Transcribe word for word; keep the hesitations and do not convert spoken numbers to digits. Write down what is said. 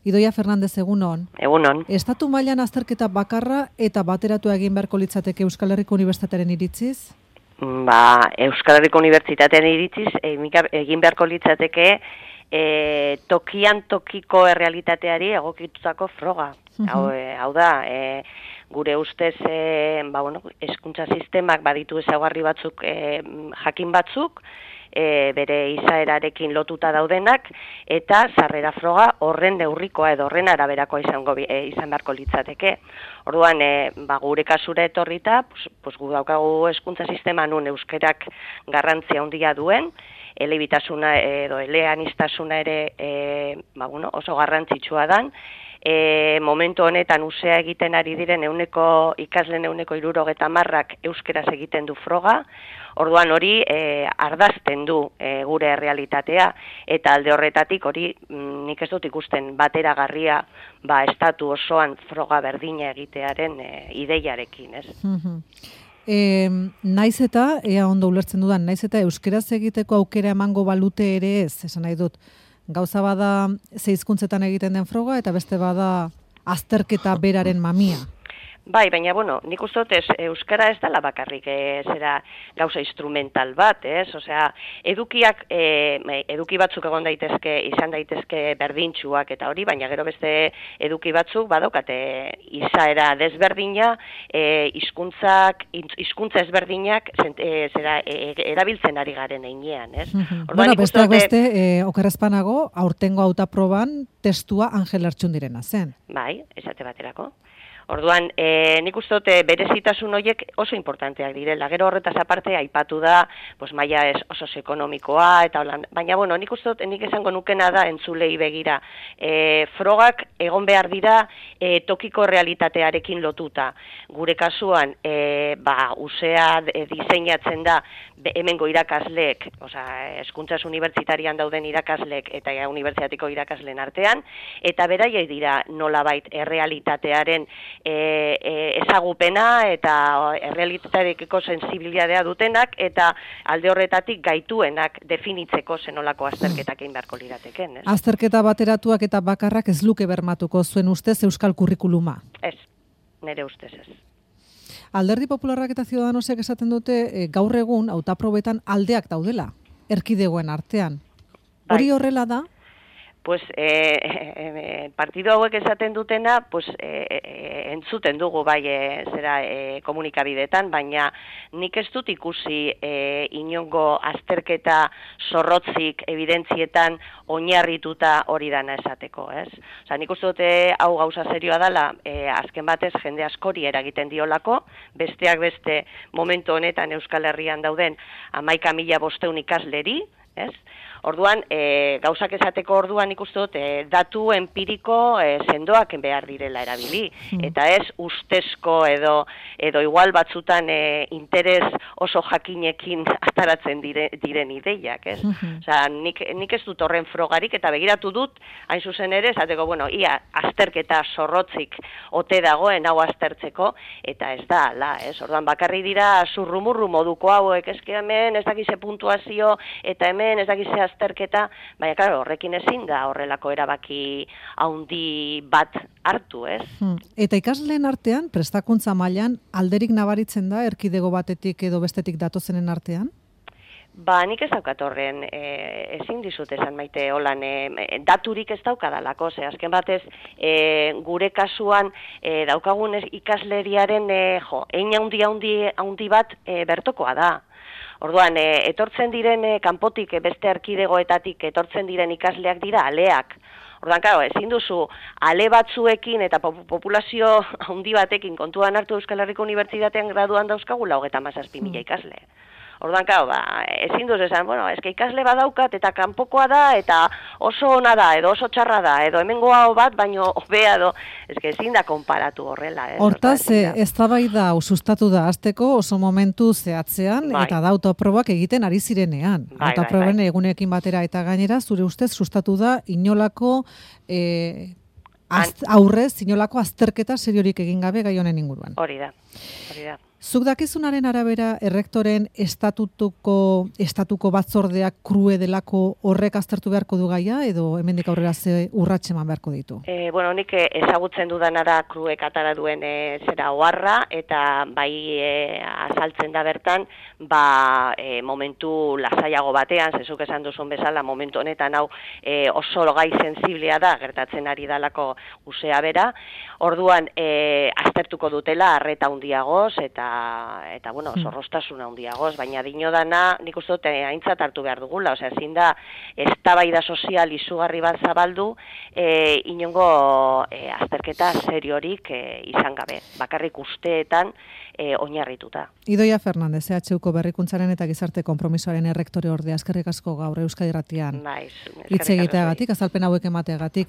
Idoia Fernandez, egunon. Egunon. Estatu mailan azterketa bakarra eta bateratu egin beharko litzateke Euskal Herriko Unibertsitatearen iritziz? Ba, Euskal Herriko Unibertsitatearen iritziz egin beharko litzateke e, tokian tokiko errealitateari egokitutako froga. Uh-huh. Hau, e, hau da, e, gure ustez e, ba, bueno, hezkuntza sistemak baditu ezaugarri batzuk, e, jakin batzuk, E, bere izaerarekin lotuta daudenak, eta sarrera froga horren neurrikoa edo horren araberakoa izango, e, izan beharko litzateke. Orduan, e, ba, gure kasura etorrita, pues, pues, gu daukagu hezkuntza sistema nun euskerak garrantzia handia duen, elebitasuna edo eleaniztasuna ere e, ba, bueno, oso garrantzitsua dan, E, momentu honetan usea egiten ari diren euneko ikasleen euneko hirurogeta hamarrak euskeraz egiten du froga, orduan hori e, ardazten du e, gure errealitatea, eta alde horretatik hori m, nik ez dut ikusten bateragarria ba, estatu osoan froga berdina egitearen e, ideiarekin, ez? Mm-hmm. E, naiz eta, ea ondo ulertzen dudan, naiz eta euskeraz egiteko aukera emango balute ere ez, esan nahi dut. Gauza bada ze hizkuntzetan egiten den froga eta beste bada azterketa beraren mamia. Bai, baina, bueno, nik uste dut ez, euskara ez dela bakarrik, e, zera gauza instrumental bat, ez? Osea, edukiak, e, eduki batzuk egon daitezke, izan daitezke berdintxuak eta hori, baina gero beste eduki batzuk badokate izaera desberdina, e, hizkuntzak, hizkuntza ezberdinak e, zera, e, erabiltzen ari garen einean, ez? Mm-hmm. Bueno, besteak beste, e, okerrezpanago, aurtengo hautaproban testua Angel Artxundirena zen. Bai, esate baterako. Orduan, e, nik uste dut berezitasun horiek oso importanteak direla. Gero horretaz aparte aipatu da, pues maila ez oso ekonomikoa eta holan. Baina bueno, nik uste dut nik esango nukena da entzulei begira. E, frogak egon behar dira e, tokiko realitatearekin lotuta. Gure kasuan, e, ba, usea e, diseinatzen da hemengo irakasleek, osea, hezkuntzaz unibertsitarian dauden irakasleek eta ja, unibertsitateko irakasleen artean, eta beraiei dira nolabait errealitatearen E, e, ezagupena eta errealitatearekiko sensibilitatea dutenak eta alde horretatik gaituenak definitzeko zenolako azterketak egin beharko lirateken. Ez? Azterketa bateratuak eta bakarrak ez luke bermatuko zuen ustez euskal kurrikuluma? Ez, nire ustez ez. Alderdi Popularrak eta Ciudadanosek esaten dute e, gaur egun hautaprobetan aldeak daudela, erkidegoen artean. Hori bai. Horrela da? Pues eh, eh, partido hauek esaten dutena, pues eh, eh, entzuten dugu bai eh, zera eh, komunikabidetan, baina nik ez dut ikusi eh, inongo azterketa zorrotzik evidentzietan oinarrituta hori dana esateko, ez? Osea, nik uste dute hau gauza serioa dela, eh, azken batez jende askori eragiten diolako, besteak beste momentu honetan Euskal Herrian dauden hamaika mila bostehun ikasleri, ez? Orduan, e, gauzak esateko orduan ikuste dut, e, datu empiriko e, sendoak behar direla erabili. Mm. Eta ez ustezko edo edo igual batzutan e, interes oso jakinekin ataratzen dire, diren ideiak, ez? Mm-hmm. Osea, nik, nik ez dut horren frogarik eta begiratu dut, hain zuzen ere, esateko, bueno, ia azterketa zorrotzik ote dagoen hau aztertzeko, eta ez da, la, ez? Orduan, bakarri dira zurrumurru moduko hauek, ezke hemen ez dakize puntuazio, eta hemen ez dakize azterketa, baina, claro, horrekin ezin da horrelako erabaki haundi bat hartu, ez? Hmm. Eta ikasleen artean, prestakuntza mailan alderik nabaritzen da, erkidego batetik edo bestetik datozenen artean? Ba, nik ez daukat horren, e, ezin dizut esan maite holan, e, daturik ez daukadalako, ze azken batez, e, gure kasuan e, daukagun ikasleriaren, e, jo, ein haundi haundi haundi bat e, bertokoa da. Orduan, e, etortzen diren e, kanpotik e, beste erkidegoetatik etortzen diren ikasleak dira aleak. Orduan, claro, ezin duzu ale batzuekin eta populazio handi batekin kontuan hartu Euskal Herriko Unibertsitatean graduan dauzkagula hogeita hamazazpi mila ikasle. Orduan, claro, ba, ezin duz esan, bueno, eske ikasle badaukat eta kanpokoa da eta oso ona da edo oso txarra da edo hemengoa bat baino hobea edo eske ezin da konparatu horrela, ez? Hortaz, eztabaida sustatu da hasteko oso momentu zehatzean bai. Eta da autoprobak egiten ari zirenean. Bai, autoproben bai, bai. Egunekin batera eta gainera zure ustez sustatu da inolako eh, az, aurrez inolako azterketa seriorik egin gabe gai honen inguruan. Hori da. Hori da. Zuk dakizunaren arabera errektoren estatutuko estatuko batzordeak krue delako horrek aztertu beharko du gaia edo hemendik aurrera ze urratxe eman beharko ditu? E, bueno, nik ezagutzen dudana da kruek atara duen e, zera oharra eta bai e, azaltzen da bertan ba e, momentu lasaiago batean, zezuk esan duzun bezala momentu honetan hau e, oso gai sensiblea da gertatzen ari dalako usea bera. Orduan e, aztertuko dutela arreta handiagoz eta eta bueno, zorrostasuna handiagoz, baina dinodana nik uste dut aintzat hartu behar dugula, osea, ezin da eztabaida sozial izugarri bat zabaldu e, inongo e, azterketa seriorik e, izan gabe, bakarrik usteetan e, oinarrituta. Idoia Fernandez, E H Uko berrikuntzaren eta gizarte konpromisoaren errektore ordea, eskerrik asko gaur Euskadi Irratian. Naiz, hitz egiteagatik, azalpen hauek emateagatik.